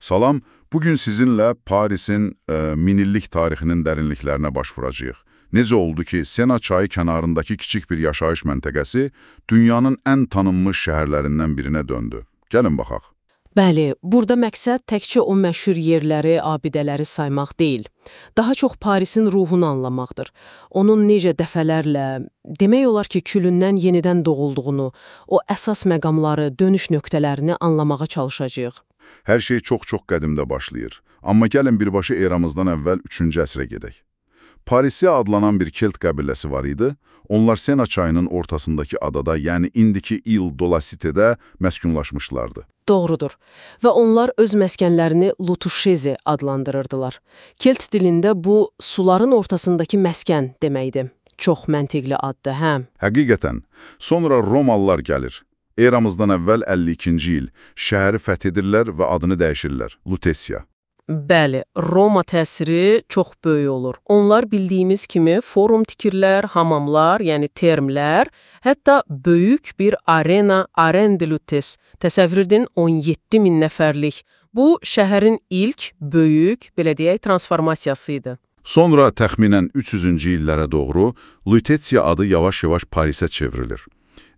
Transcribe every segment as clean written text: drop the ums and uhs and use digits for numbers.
Salam, bugün sizinlə Parisin minillik tarixinin dərinliklərinə baş vuracağıq. Necə oldu ki, Sena çayı kənarındakı kiçik bir yaşayış məntəqəsi dünyanın ən tanınmış şəhərlərindən birinə döndü? Gəlin baxaq. Bəli, burada məqsəd təkcə o məşhur yerləri, abidələri saymaq deyil. Daha çox Parisin ruhunu anlamaqdır. Onun necə dəfələrlə, demək olar ki, külündən yenidən doğulduğunu, o əsas məqamları, dönüş nöqtələrini anlamağa çalışacağıq. Hər şey çox-çox qədimdə başlayır. Amma gəlin birbaşa eramızdan əvvəl 3-cü əsrə gedək. Parisi adlanan bir Kelt qəbiləsi var idi. Onlar Sena çayının ortasındakı adada, yəni indiki İl-Dolasitedə məskunlaşmışlardı. Doğrudur. Və onlar öz məskənlərini Lutuşezi adlandırırdılar. Kelt dilində bu, suların ortasındakı məskən deməkdir. Çox məntiqli addır, hə? Həqiqətən. Sonra Romalılar gəlir. Eramızdan əvvəl 52-ci il şəhəri fəth edirlər və adını dəyişirlər. Lutesiya. Bəli, Roma təsiri çox böyük olur. Onlar bildiyimiz kimi forum tikirlər, hamamlar, yəni termlər, hətta böyük bir arena, Arène de Lutèce, təsəvvür edin 17 min nəfərlik. Bu, şəhərin ilk, böyük, belə deyək, transformasiyası idi. Sonra təxminən 300-cü illərə doğru Lutetiya adı yavaş-yavaş Parisə çevrilir.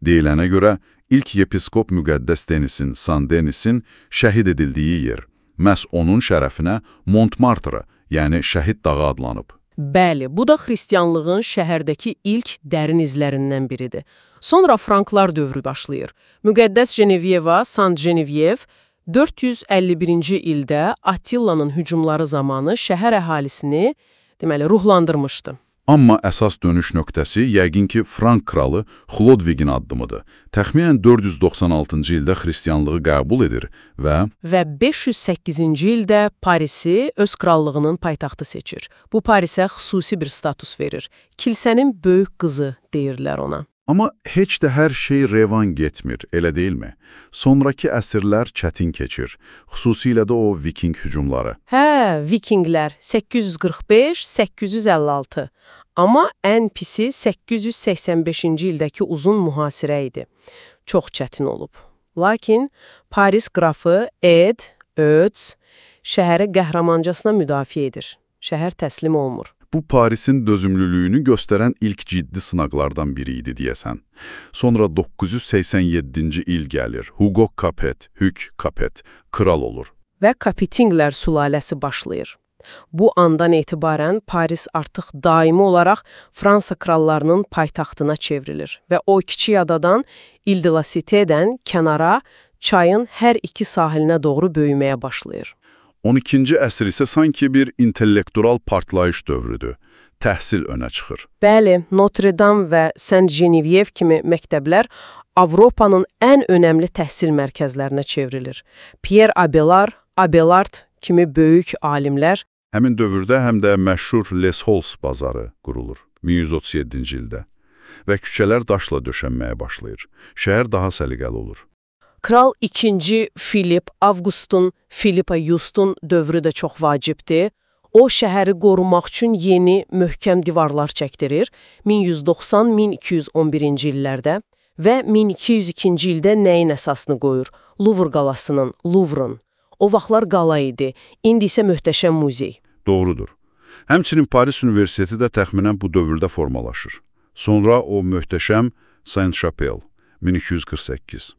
Deyilənə görə, ilk yepiskop Müqəddəs Denisin, San Denisin şəhid edildiyi yer. Məhz onun şərəfinə Montmartre, yəni Şəhid dağı adlanıb. Bəli, bu da xristianlığın şəhərdəki ilk dərin izlərindən biridir. Sonra Franklar dövrü başlayır. Müqəddəs Genevieve, Saint Genevieve 451-ci ildə Attillanın hücumları zamanı şəhər əhalisini, deməli, ruhlandırmışdı. Amma əsas dönüş nöqtəsi yəqin ki, Frank kralı Xlodvigin addımıdır. Təxminən 496-cı ildə xristianlığı qəbul edir və 508-ci ildə Parisi öz krallığının paytaxtı seçir. Bu Parisə xüsusi bir status verir. Kilsənin böyük qızı deyirlər ona. Amma heç də hər şey revan getmir, elə deyilmi? Sonrakı əsrlər çətin keçir, xüsusilə də o viking hücumları. Hə, vikinglər 845-856. Amma ən pisi 885-ci ildəki uzun mühasirə idi. Çox çətin olub. Lakin Paris qrafı Ötz şəhəri qəhrəmancasına müdafiə edir. Şəhər təslim olmur. Bu, Parisin dözümlülüyünü göstərən ilk ciddi sınaqlardan biri idi, deyəsən. Sonra 987-ci il gəlir. Hugo Capet, kral olur. Və Capetinglər sülaləsi başlayır. Bu andan etibarən Paris artıq daimi olaraq Fransa krallarının paytaxtına çevrilir və o kiçik adadan İl-de-la-Cité'dən kənara çayın hər iki sahilinə doğru böyüməyə başlayır. 12-ci əsr isə sanki bir intellektual partlayış dövrüdür. Təhsil önə çıxır. Bəli, Notre-Dame və Saint-Geneviève kimi məktəblər Avropanın ən önəmli təhsil mərkəzlərinə çevrilir. Pierre Abelard kimi böyük alimlər həmin dövrdə həm də məşhur Les Halles bazarı qurulur 1137-ci ildə və küçələr daşla döşənməyə başlayır. Şəhər daha səliqəli olur. Kral 2. Filip Avqustun, Filipa Yustun dövrü də çox vacibdir. O, şəhəri qorumaq üçün yeni, möhkəm divarlar çəkdirir 1190-1211-ci illərdə və 1202-ci ildə nəyin əsasını qoyur? Louvre qalasının, Louvre'ın. O vaxtlar qala idi, indi isə möhtəşəm muzey. Doğrudur. Həmçinin Paris Universiteti də təxminən bu dövrdə formalaşır. Sonra o möhtəşəm Saint-Chapelle, 1248.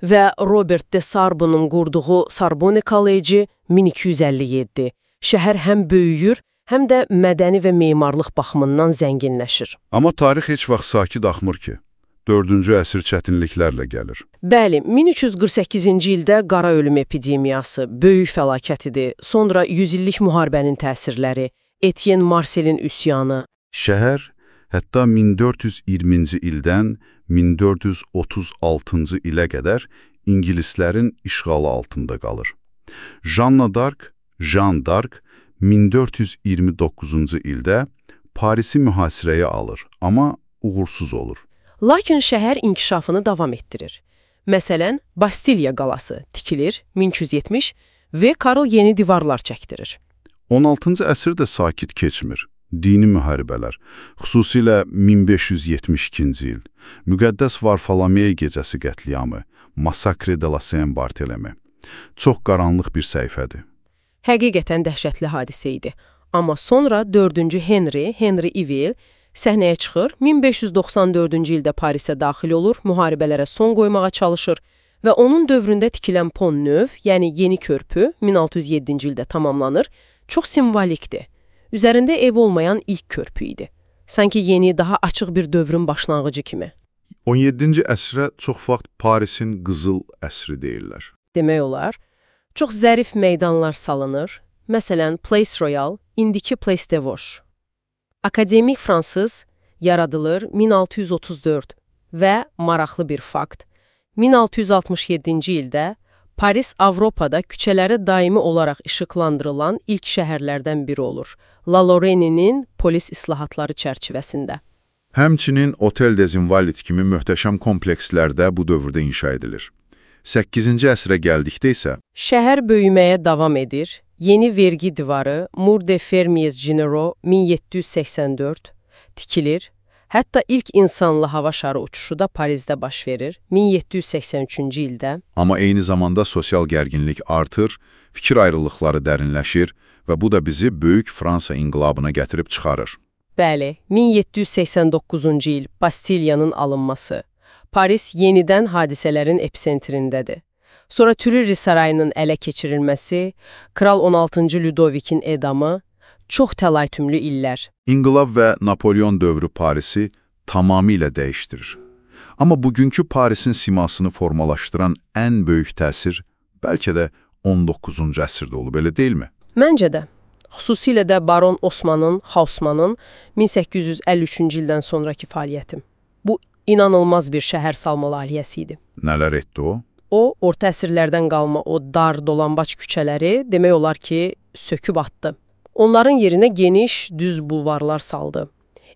Və Robert de Sarbonun qurduğu Sorbonne College 1257. Şəhər həm böyüyür, həm də mədəni və memarlıq baxımından zənginləşir. Amma tarix heç vaxt sakit axmır ki. 4-cü əsr çətinliklərlə gəlir. Bəli, 1348-ci ildə qara ölüm epidemiyası, böyük fəlakət idi. Sonra 100 illik müharibənin təsirləri, Etienne Marcelin üsyanı. Şəhər hətta 1420-ci ildən 1436-cı ilə qədər İngilislərin işğalı altında qalır. Jeanne d'Arc 1429-cu ildə Parisi mühasirəyə alır, amma uğursuz olur. Lakin şəhər inkişafını davam etdirir. Məsələn, Bastiliya qalası tikilir 1270 və Karl yeni divarlar çəkdirir. 16-cı əsr də sakit keçmir. Dini müharibələr, xüsusilə 1572-ci il, Müqəddəs Varfolomey gecəsi qətliamı, Massacre de la Saint-Barthélemy. Çox qaranlıq bir səhifədir. Həqiqətən dəhşətli hadisə idi. Amma sonra 4-cü Henry Eville səhnəyə çıxır, 1594-cü ildə Parisə daxil olur, müharibələrə son qoymağa çalışır və onun dövründə tikilən Pont-Neuf, yəni yeni körpü 1607-ci ildə tamamlanır, çox simvolikdir. Üzərində ev olmayan ilk körpü idi. Sanki yeni, daha açıq bir dövrün başlanğıcı kimi. 17-ci əsrə çox vaxt Parisin qızıl əsri deyirlər. Demək olar, çox zərif meydanlar salınır. Məsələn, Place Royal, indiki Place de Vosges. Akademik fransız yaradılır 1634 və maraqlı bir fakt, 1667-ci ildə Paris Avropada küçələri daimi olaraq işıqlandırılan ilk şəhərlərdən biri olur. La Lorraine'nin polis islahatları çərçivəsində. Həmçinin Otel des Invalides kimi möhtəşəm komplekslərdə bu dövrdə inşa edilir. 8-ci əsrə gəldikdə isə şəhər böyüməyə davam edir. Yeni vergi divarı Mur de Fermiers Generaux 1784 tikilir. Hətta ilk insanlı hava şarı uçuşu da Parisdə baş verir 1783-cü ildə. Amma eyni zamanda sosial gərginlik artır, fikir ayrılıqları dərinləşir və bu da bizi Böyük Fransa inqilabına gətirib çıxarır. Bəli, 1789-cu il Bastiliyanın alınması. Paris yenidən hadisələrin episentrindədir. Sonra Tuileries sarayının ələ keçirilməsi, Kral 16-cı Ludovikin edamı, çox təlaytümlü illər. İnqilab və Napolyon dövrü Parisi tamamilə dəyişdirir. Amma bugünkü Parisin simasını formalaşdıran ən böyük təsir bəlkə də 19-cu əsrdə olub, elə deyilmi? Məncə də. Xüsusilə də Baron Osmanın, Haussmanın 1853-cü ildən sonraki fəaliyyəti. Bu, inanılmaz bir şəhər salma layihəsi idi. Nələr etdi o? O, orta əsrlərdən qalma o dar, dolambac küçələri demək olar ki, söküb atdı. Onların yerinə geniş, düz bulvarlar saldı.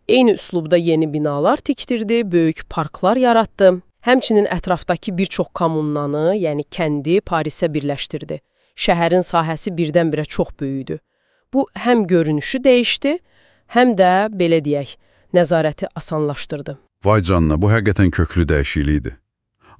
Eyni üslubda yeni binalar tikdirdi, böyük parklar yaratdı. Həmçinin ətrafdakı bir çox kommunanı, yəni kəndi Parisə birləşdirdi. Şəhərin sahəsi birdən-birə çox böyüdü. Bu, həm görünüşü dəyişdi, həm də, belə deyək, nəzarəti asanlaşdırdı. Vay canına, bu həqiqətən köklü dəyişiklikdir.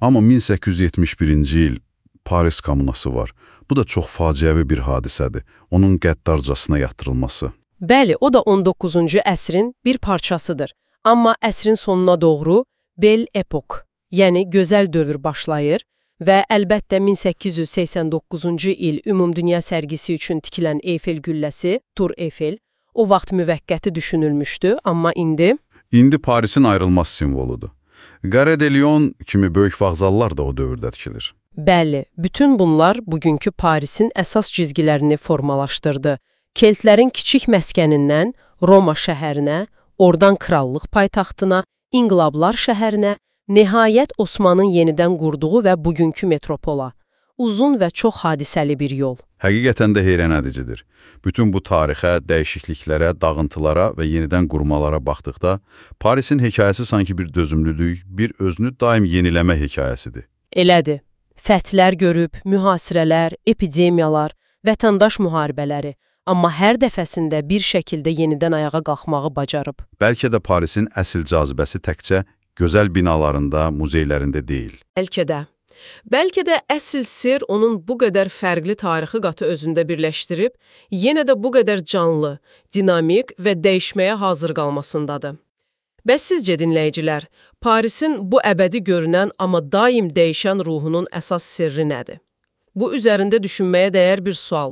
Amma 1871-ci il Paris kommunası var. Bu da çox faciəvi bir hadisədir. Onun qəddarcasına yatırılması. Bəli, o da 19-cu əsrin bir parçasıdır. Amma əsrin sonuna doğru Belle Époque, yəni gözəl dövr başlayır və əlbəttə 1889-cu il Ümumdünya sərgisi üçün tikilən Eyfel gülləsi, Tour Eiffel, o vaxt müvəqqəti düşünülmüşdü, amma indi... İndi Parisin ayrılmaz simvoludur. Gare de Lyon kimi böyük vağzallar da o dövrdə tikilir. Bəli, bütün bunlar bugünkü Parisin əsas cizgilərini formalaşdırdı. Keltlərin kiçik məskənindən Roma şəhərinə, oradan krallıq paytaxtına, İnqilablar şəhərinə, nəhayət Osmanın yenidən qurduğu və bugünkü metropola. Uzun və çox hadisəli bir yol. Həqiqətən də heyrənedicidir. Bütün bu tarixə, dəyişikliklərə, dağıntılara və yenidən qurmalara baxdıqda, Parisin hekayəsi sanki bir dözümlülük, bir özünü daim yeniləmə hekayəsidir. Elədir. Fəthlər görüb, mühasirələr, epidemiyalar, vətəndaş müharibələri, amma hər dəfəsində bir şəkildə yenidən ayağa qalxmağı bacarıb. Bəlkə də Parisin əsl cazibəsi təkcə gözəl binalarında, muzeylərində deyil. Bəlkə də. Bəlkə də əsl sir onun bu qədər fərqli tarixi qatı özündə birləşdirib, yenə də bu qədər canlı, dinamik və dəyişməyə hazır qalmasındadır. Bəs sizcə dinləyicilər, Parisin bu əbədi görünən, amma daim dəyişən ruhunun əsas sirri nədir? Bu üzərində düşünməyə dəyər bir sualdır.